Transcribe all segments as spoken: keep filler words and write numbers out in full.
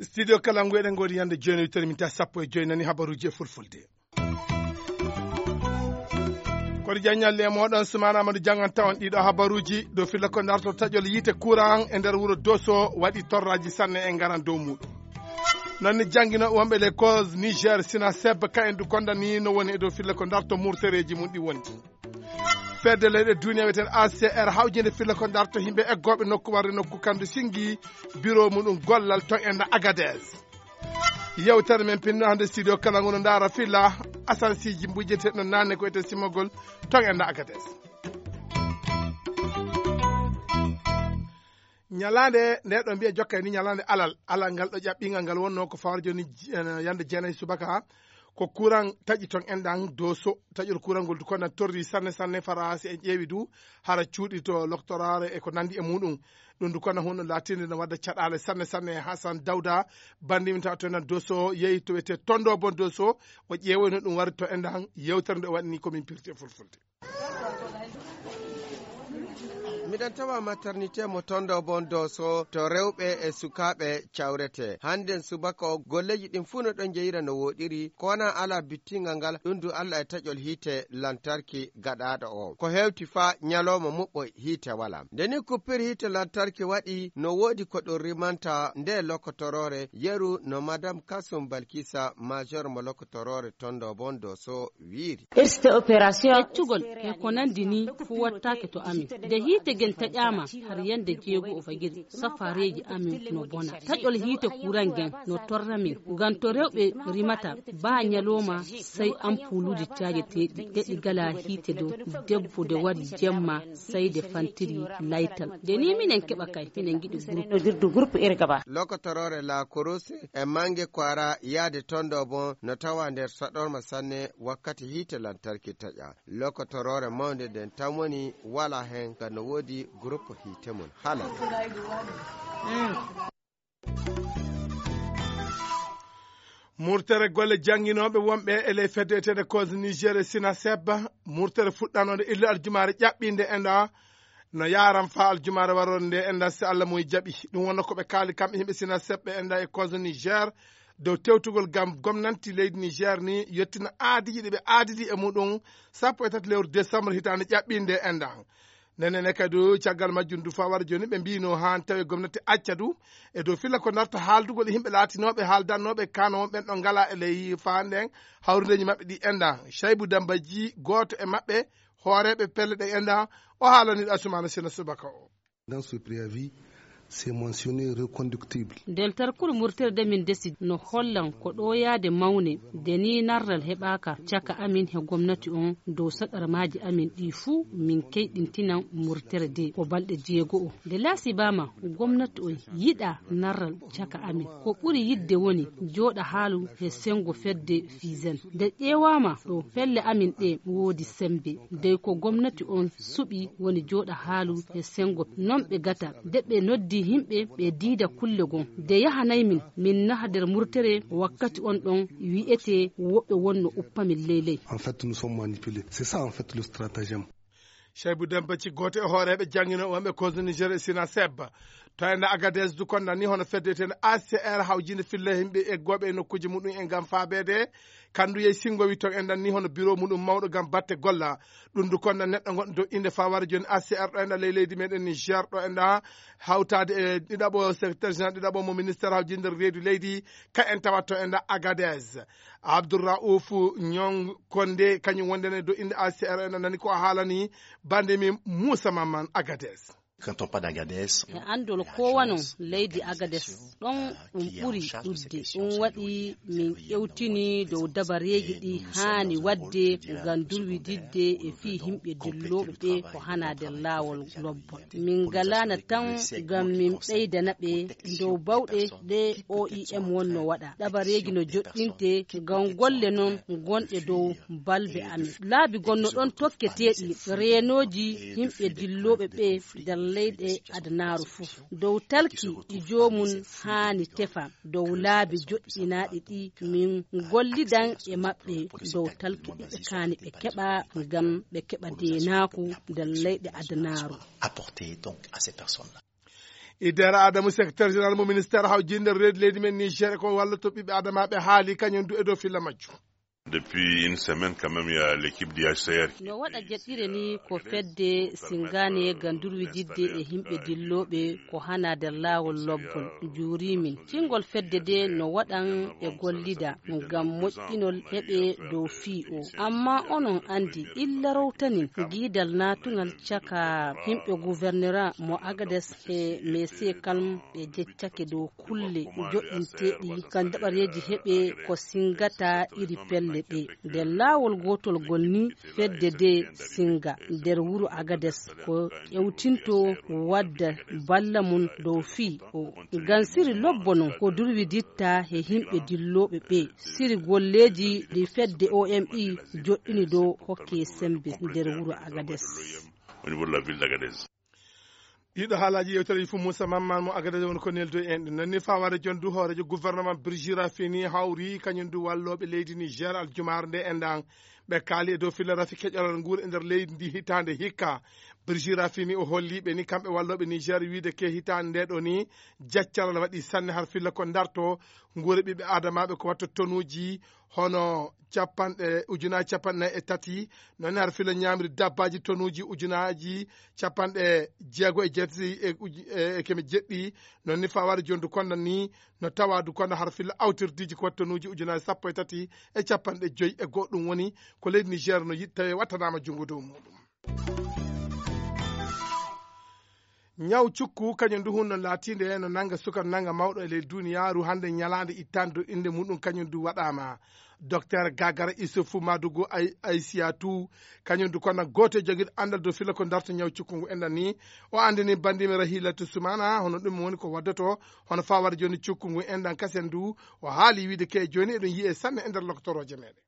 Studio Kalangu, eɗen ngoodi yande jooni, wittere min ta sappo e joyi, nani habaruuji e fulfulde. Kono jaññalle e mooɗon, Sumaana Amadou Jangan, tawan ɗiɗo habaruuji. Dow filla ko darto taƴol yiite courant e nder wuro Doso waɗi torraaji sanne e ngaran dow muuɗum. Noon ne jannginooɓe wonɓe les causes Niger Sina Seb, ka en du kondani no woni e dow filla ko darto murtereeji mum ɗi woni. Fedde leyɗe duniya wiyeten A C R hawjinde filla ko darto yimɓe eggooɓe nokku warde nokku kandu singi biro muɗum gollal to enda Agadez. Yewtere men pinno hannde studio kala ngono ndaara filla asansiiji mbujeteɗo nanne ko ete simogol to enda Agadez. Ñalaande nde ɗo mbiya jokka ni ñalaande alal, alal ngal ɗo ƴaɓɓingal ngal wonno ko fawar joni j-, eh, yande jeenayi subaka. Ko kuran taƴi ton enɗan doso, taƴol kuran ngol du kono torri sanne sanne. Farasi en ƴeewi du hara cuuɗi to loktoraare e ko nandi e muɗum. Ɗum du kono hunno latinde no wadda caɗaale sanne sanne. Hasan Dawda, bandimi tawa to enɗan doso, yehi to wiyete tondo bon doso, o ƴeewoyno ɗum wari to enɗan yewtere nde o waɗni ko min pirti e fulfulde. Miɗen tawa maternité mo tondo bon doso to rewɓe e sukaaɓe cawrete. Hannden subaka o golleeji ɗin fuu no ɗon jeyira no woɗiri, ko wona ala bittingal ngal, ɗum du Allah e taƴol hiite lantarki gaɗaaɗo o. Ko hewti faa ñalooma muɓɓo hiite wala. Nde ni kuppir hiite lantarki waɗi, no woodi ko ɗum rimanta nde lokotoroore, yeru no Madame Kasum Balkisa, major mo lokotoroore tondo bon doso wiiri. Irste opération. Feccugol e ko nandi ni fuu wattaake to amin. Nde hiite gen taƴaama har yande jeego o fajiri, safareeji amin no bona. Taƴol hiite kuran gen no torra min. Ngam to rewɓe rimata, baa ñalooma, sey ampuuluuji caajeteeɗi. Nde ɗi gala hiite dow, debbo nde wari jemma, sey nde fantiri laytal. Nde ni minen keɓa kay, minen ngiɗi groupe. Lokotoroore La Kurus e Mange Kwara yaade tondo bon no tawa nder saɗorma sanne wakkati hiite lantarki taƴa. Lokotoroore mawnde nden tan woni wala hen ka no woodi groupe hiite mum hala. Murtere golle jannginooɓe wonɓe e ley fedde eteede Cause Niger e Sina Seb. Murtere fuɗɗanoonde illa aljumaare ƴaɓɓiinde enɗa no yaaran faa aljumaare waroore nde enɗa si Allah moy jaɓi. Ɗum wonno ko ɓe kaali kamɓe yimɓe Sina Seb ɓe enɗa e Cause Niger dow tewtugol ngam gomnanti leydi Niger ni yettina aadiiji ɗi ɓe aadidi e muɗum sappo e tati lewru décembre hitaande ƴaɓɓiinde enɗa. Ndenene kadi caggal majjum du fawar jooni ɓe mbino haan tawi gomnati acca du e dow filla ko darta haaldugol e yimɓe laatinooɓe haaldannooɓe kano won ɓen ɗo ngala e ley faanɗen hawrudeeji maɓɓe ɗi enɗa. Shaybu Dambaji, gooto e maɓɓe, hooreeɓe pelle ɗe enɗa, o haalani Asumana Sena subaka o. Dans ce préavis, c'est mentionné reconductible. Nder tarkuru murterde min desi no hollan ko ɗo yaade mawne, de ni narral heɓaaka caka amin he gomnati on dow saɗarmaaji amin ɗi fuu min keyɗintinan murtere de ko balɗe jeego o. Nde laasibaama gomnati on yiɗa narral caka amin. Ko ɓuri yiɗde woni jooɗa haalu he senngo fedde Fiisen. Nde ƴeewaama ɗo pelle amin ɗe woodi semmbe. Dey ko gomnati on suɓi woni jooɗa haalu e senngo non ɓe gata. Nde ɓe noddi yimɓe ɓe diida kulle gon. Nde yahanay min, min naha nder murtere wakkati on ɗon wi'etee woɓɓe wonno uppa min ley ley. En fait, nous sommes manipulés. C'est ça, en fait, le stratagème. Shaybu Demba ci gooto e hooreeɓe jannginooɓe wonɓe Kozo Niger e Sina Seb. To enda Agadez du kon nani hono fedde eteende A C R hawjinde filla yimɓe eggooɓe e nokkuuji muɗum en ngam faabeede. Kandu yey singowi to enɗan ni hono biro muɗum mawɗo ngam batte golla. Ɗum du kon nan neɗɗo gonɗo dow innde faware jooni A C R ɗo enɗan ley leydi meɗen Niger ɗo enɗan hawtaade e ɗiɗaɓo secrétaire général ɗiɗaɓo mo ministère hawjinde reedu leydi ka en tawat to enɗan Agadez. Abdourraouf Niang Condé kañum wondene dow innde A C R enɗan nani ko a haalani bande min Moussa Maman Agadez. Quand on parle d'Agadez, e anndol kowanon leydi Agades ɗon ɗum ɓuri ɗudde. Ɗum waɗi min ƴewtini dow dabareeji ɗi haani waɗde ngam durwididde e fii yimɓe dillooɓe ɓe ko hana nder laawol lobbol. Min ngalaana tan ngam min ɓeydana ɓe dow bawɗe ɗe O I M wonno waɗa. Dabareeji no joɗɗinte ngam golle non gonɗe dow balbe amin. Laabi gonno ɗon tokketeeɗi reenooji yimɓe dillooɓe ɓe nder Leyɗe adanaaru fof dow talki ɗi joomum haani tefa dow laabi joɗɗinaaɗi ɗi min gollidan e maɓɓe dow talki ɗi ɓe kaani ɓe keɓa ngam ɓe keɓa deenaaku nder leyɗe adanaaru. Idere adamu secrétaire général mo ministère hawjinde reedi leydi men niger ko walloto ɓiɓɓe adamaɓe haali kañum du e dow filla majju. Depuis une semaine quand même il y a l'équipe du H C R. No waɗa jeɗɗire ni ko fedde singane ga durwijidde e himɓe dillooɓe ko hana nder laawol lobbol juurimin cingol fedde de no waɗan e gollida ngam moƴƴinol heɓe dow fii o amma onon andi illa rowtanin giidal natungal caka himɓe gouvernera mo agades e mese kalm ɓe jeccake dow kulle joɗɗinteeɗi ka daɓareeji heɓe ko singata iri pelle ɗe nder laawol gootol gol ni fedde de singa nder wuro agades ko ƴewtinto wadda balla mum dow fii o ngam siri lobbo non ko durwiditta he himɓe dillooɓe ɓe siri golleeji ɗi fedde omi joɗɗini dow hokke sembe nder wuro agades. Au niveau de la ville d'Agadez. Ɗiɗo haalaaji yewtere fof Moussa Mamman mo Agadez woni ko neldo en ɗum nonni fawaade jondu hoorejo gouvernement Birgira fini hawri kañum du wallooɓe leydi Niger aljumaare nde enɗan ɓe kaali e dow filla rafi keƴalal nguur e nder leydi ndi hitaande hikka. Birgira fini o holliiɓe ni kamɓe wallooɓe Niger wiide ke hitaande nde ɗo ni jaccaral waɗi sanne har filla ko darto nguure ɓiɓɓe adamaaɓe ko watta tonuuji hono capanɗe ujunaaji capanɗe nayi e tati noon ne hara fila ñaamri dabbaaji tonuuji ujunaaji capanɗe jeego e jeetati e uj- e- e keme jeɗɗi noon ni fawaade jondu konda ni no tawaadu konda hara fila awtirdiiji ko watta tonuuji ujunaaji sappo e tati e capanɗe joyi e goɗɗum woni ko leydi niger no yiɗ tawi wattanaama junngo dow muɗum. Ñaw cukku kañum ndu hunno laatiinde no nannga suka nannga mawɗo e ley duniyaaru hannde ñalaande ittaande dow innde muɗum kañum ndu waɗaama. Dokteer Gagara Isufu Madugu Aysiyatu kañum ndu kono gooto e jogiiɗo anndal dow filla ko darto ñaw cukku ngu enɗan ni o anndini banndiimi Rahilatu Sumana hono ɗum woni ko waddoto hono faa waɗa jooni cukku ngu enɗan kasen ndu o haali wiide ke jooni eɗum yiyee sanne e nder lokotorooje meɗen.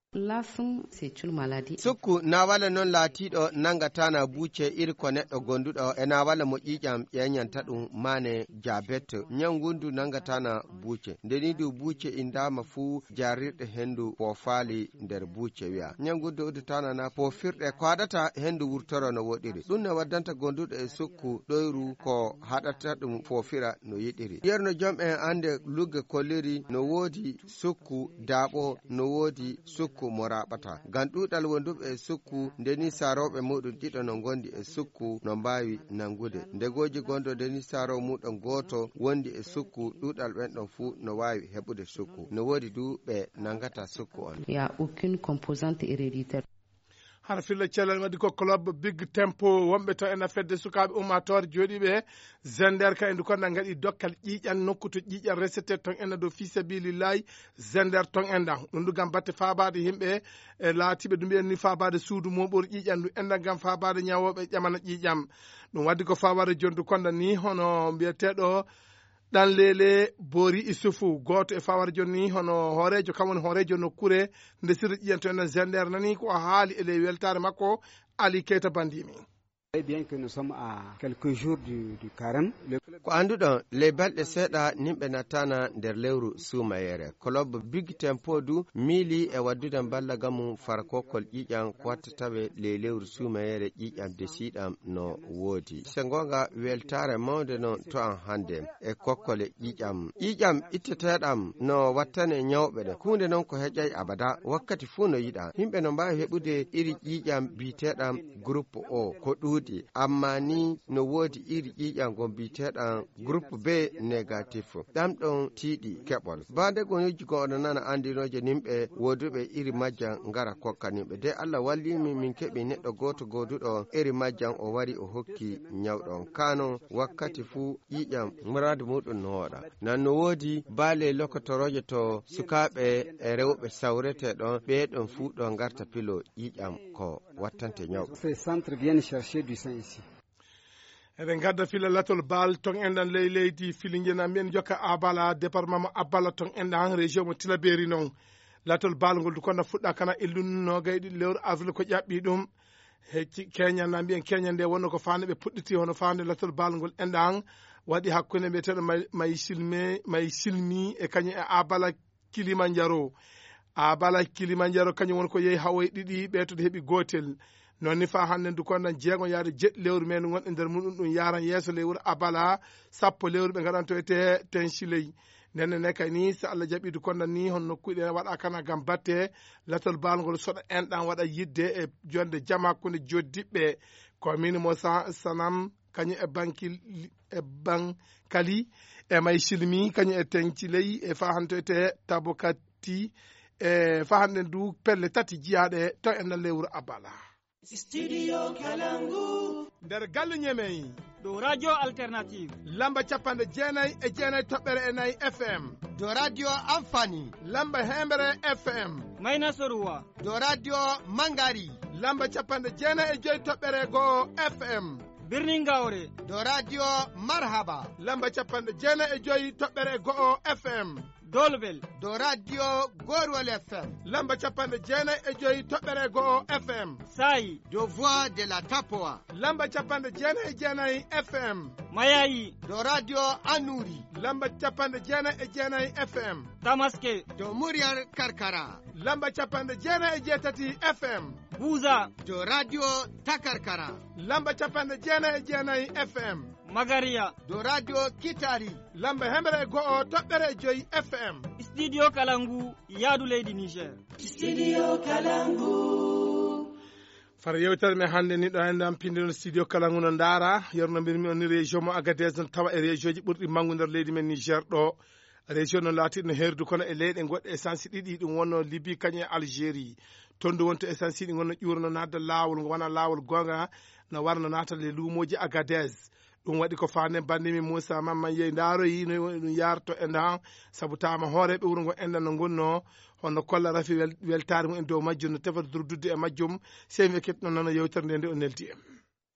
Sukku nawale noon laatiiɗo nanngataana buuce iri ko neɗɗo gonduɗo e nawale mo ƴiiƴam ƴeeñanta ɗum maane jabet. Ñaw ngundu nanngataana buuce. Nde nii du buuce inndaama fuu jaarirɗe henndu foofaali nder buuce wiya. Ñaw ngundu uddataana na foofirɗe ko haɗata henndu wurtoro no woɗiri. Ɗum ne waddanta gonduɗo e sukku ɗoyru ko haɗata ɗum foofira no yiɗiri. Yerno jom en annde lugge kolliri no woodi sukku daaɓo no woodi sukku mo raaɓata ngam ɗuuɗal wonduɓe e sukku nde ni saarooɓe muɗum ɗiɗo no ngondi e sukku no mbaawi nanngude ndegooji gondo nde ni saaroo muɗum gooto wondi e sukku ɗuuɗal ɓen ɗon fuu no waawi heɓude sukku no woodi du ɓe nanngata sukku on. Il y a aucune composante héréditaire. Hara filla cellal waɗi ko club big tempo wonɓe to ena fedde sukaaɓe ummaatoore jooɗiiɓe zender ka e ndu konna ngaɗi dokkal ƴiiƴan nokku to ƴiiƴan resete ton ena dow fi sabilillahi zender ton endan ɗum ndu gam batte faabaade yimɓe e laatiiɓe ɗum mbiyen ni faabaade suudu mooɓoru ƴiiƴan ndu endan gam faabaade ñawooɓe ƴamana ƴiiƴam. Ɗum waɗdi ko faabaade jondu konda ni hono mbiyeteeɗo ɗan leele boori isufu gooto e fawar jonni hono hooreejo kam woni hooreejo nokkure nde sirri ƴiyanto enen zender nani ko haali e ley weltaare makko. Ali keyta bandimi. Très bien que nous sommes à quelques jours du, du carême. Le- Ko annduɗon, ley balɗe seeɗa nimɓe nattana nder lewru suumayere. Kolob Big Tempo du miili e waddude mballagamu fara kokkol ƴiiƴam ko watta tawe ley lewru suumayere ƴiiƴam desiiɗam no woodi. Se ngoonga weltaare mawnde non to am hannde e kokkole ƴiiƴam. Ƴiiƴam itteteeɗam no wattane ñawɓe ɗe. Huunde non ko heƴay abada, wakkati fuu no yiɗa. Yimɓe no mbaawi heɓude iri ƴiiƴam biyeteeɗam groupe O ko ɗuuɗi, amma ni no woodi iri ƴiiƴam ngon biyeteeɗam groupe B négatif. Ɗam ɗon tiiɗi keɓol. Baa nde gonirji gon oɗon nana anndinooje nimɓe wooduɓe iri majjam ngara kokka nimɓe. De Allah wallii min, min keɓi neɗɗo gooto gooduɗo iri majjam o wari o hokki ñawɗo on. Kaa non wakkati fuu ƴiiƴam muraadu muuɗum no wooɗa. Nan no woodi baale lokotorooje to sukaaɓe e rewɓe sawretee ɗon, ɓee ɗon fuu ɗo ngarta pilo ƴiiƴam ko wattante ñawɓe. Ces centres viennent chercher du sang ici. Eɗen ngadda fila latol baal ton enɗan ley leydi filinjena mbiyen jokka abala département mo abala ton enɗan région mo tilaberi noon. Latol baal ngol du konda fuɗɗa kana illun nogay ɗiɗi lewru avril ko ƴaɓɓi ɗum. Hecci keñal na mbiyen keñal nde wonno ko faande ɓe puɗɗiti hono faande lattol baalngol enɗan waɗi hakkunde mbiyeteeɗo may silmi e kañum e abala kilimanjaro. Abala kilimanjaro kañum woni ko yehi hawoye ɗiɗi ɓeeto ɗo heɓi gootel. Noon ni faa hannden dukondan jeegon yaade jeɗɗi lewru men wonɗe nder muɗum ɗum yaran yeeso lewru abala sappo lewru ɓe ngaɗantoyte tensiley. Ndenne ne kay ni so allah jaɓi dukondan ni hon nokkuuji ɗe waɗa kana gam batte lattol baalngol soɗa enɗan waɗa yidde e jonde jam hakkunde joddiɓɓe. Ko min mo sanam kañum e bankil e bankali e may silmi kañum e tenciley e fahantoyte tabokati e fahanɗen du pelle tati jiyaaɗe to e nder lewru abala. Studio Kalangu. Nder galle ñemey. Ɗo radio alternative lamba capanɗe jeenayi e jeenayi toɓɓere e nayi fm. Ɗo radio amfani lamba hembere fm. Mayna soruwa. Ɗo radio mangari lamba capanɗe jeenayi e joyi toɓɓere go'o fm. Birnin gawre. Ɗo radio marhaba lamba capanɗe jeenayi e joyi toɓɓere go'o fm. Dolbel. Ɗo radio gorwal fm lamba capanɗe jeenayi e joyi toɓɓere go'o fm. Saayi. Ɗo voix de la tapoa lamba capanɗe jeenayi e jeenayi fm. Mayayi. Ɗo radio anuri lamba capanɗe jeenayi e jeenayi fm. Tamaske. Ɗo muryar karkara lamba capanɗe jeenayi e jeetati fm. Buza. Ɗo radio takarkara lamba capanɗe jeenayi e jeenayi fm. Magariya. Ɗo radio kitari lamba hemre e go'o toɓɓere e joyi fm. Studio kalangu yaadu leydi niger. Studio kalangu. Fara yewtere men hannde ni ɗo enɗan pindino studio kalangu no ndaara yerno mbirmi on ni région mo agadez no tawa e région ji ɓurɗi manngu nder leydi men niger ɗo. Région no laatiɗo no heerdu kono e leyɗe goɗɗe essence ɗiɗi ɗum wonno libi kañum e algérie. Tondu wonto essence ɗi gonno ƴuurno nadda laawol ngo wona laawol goonga no warno natal e luumooji agadez. Ɗum waɗi ko faande banndimi moussa mamman yeyi ndaaroyi no woni ɗum yaarto e ndan sabu taama hooreeɓe wuro ngo enɗan no ngonno hono kolla rafi weltaare mum en dow majjum no tefa durdudde e majjum. Sey mi ekkitno nano yewtere nde nde o neldi en.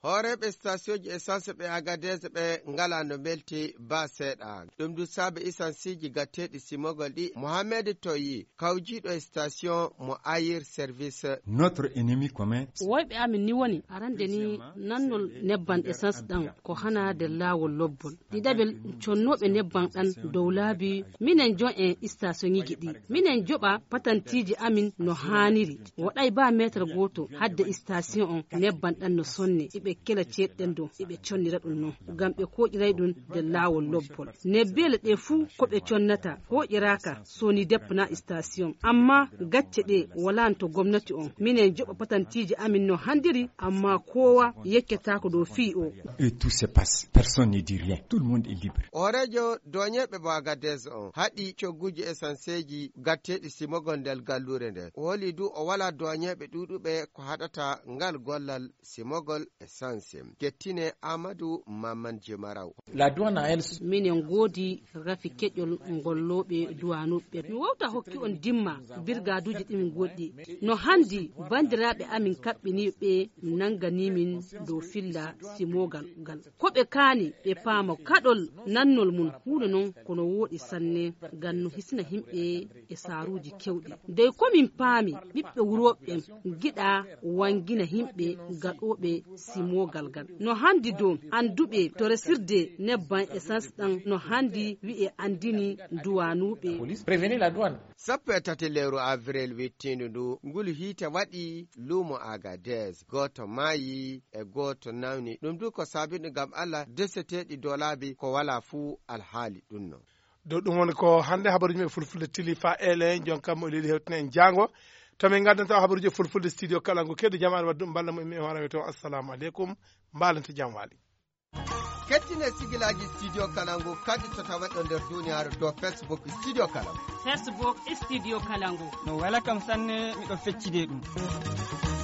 Hooreeɓe station ji essence ɓe agadez ɓe ngala no mbelti ba seeɗa. Ɗum du saabe essence ji gatteeɗi simogol ɗi mohamed toyi kawjiiɗo e station mo ayir service. Notre ennemi commun. Woyɓe amin ni woni arande ni nannol nebban essence ɗan ko hana nder laawol lobbol. Ɗiɗaɓel connooɓe nebban ɗan dow laabi minen jon en station iji ɗi minen joɓa patantiiji amin no haaniri. Waɗay ba meetar gooto hadde station on nebban ɗan no sonne iɓe kela ceeɗɗen ɗon iɓe connira ɗum non. Ngam ɓe kooƴiray ɗum nder laawol lobbol. Nebbeele ɗe fuu ko ɓe connata hooƴiraaka soni depna station. Amma gacce ɗe walaano to gomnati on minen joɓa patantiiji amin no handiri amma koowa yeccataako dow fii o. Et tout se passe personne ne dit rien tout le monde est libre. Hooreejo dooñeeɓe mo agadez on haɗi cogguuji esanseeji gatteeɗi simogol ndel galluure nden o holi du o wala dooñeeɓe ɗuuɗuɓe ko haɗata ngal gollal simogol e sanse. Kettine amadou mamman jemaraw. La douane a elle. Minen ngoodi rafi keƴol ngollooɓe duwanuɓe mi wowta hokki on dimma birgaduuji ɗimin goɗɗi. No hanndi banndiraaɓe amin kaɓɓiniiɓe ɓe nannganiimin dow filla simoogal ngal. Ko ɓe kaani ɓe paama kaɗol nannol mum huunde non ko no wooɗi sanne ngam no hisina yimɓe e saaruuji keewɗi. Dey ko min paami ɓiɓɓe wurooɓe ɓen ngiɗaa wanngina yimɓe gaɗooɓe simoogal ngal. No hanndi dow annduɓe to resirde nebban essence ɗan no hanndi wi'e anndini duwanuuɓe. Sappo e tati lewru avril wittiindu ndu ngulu hiite waɗi luumo agadez gooto maayi e gooto nawni ɗum du ko saabiɗum ngam allah deseteeɗi doolaabi ko walaa fuu alhaali ɗum non. Dow ɗum woni ko hannde habaruuji men fulfulde tili fa ele jon kammo e leydi hewtina en jaango. To min ngaddanto habaruuji fulfulde studio kala ngu keddo jamaare wadde ɗum balla mo immi e hoore to assalamu aleykum. Mbaalante jam waali. Kettine sigilaaji studio kala ngu kadi to tawa ɗo nder duniyaaru dow facebook studio kala ngu. Facebook studio kala ngu. No wela kam sanne miɗo feccide ɗum.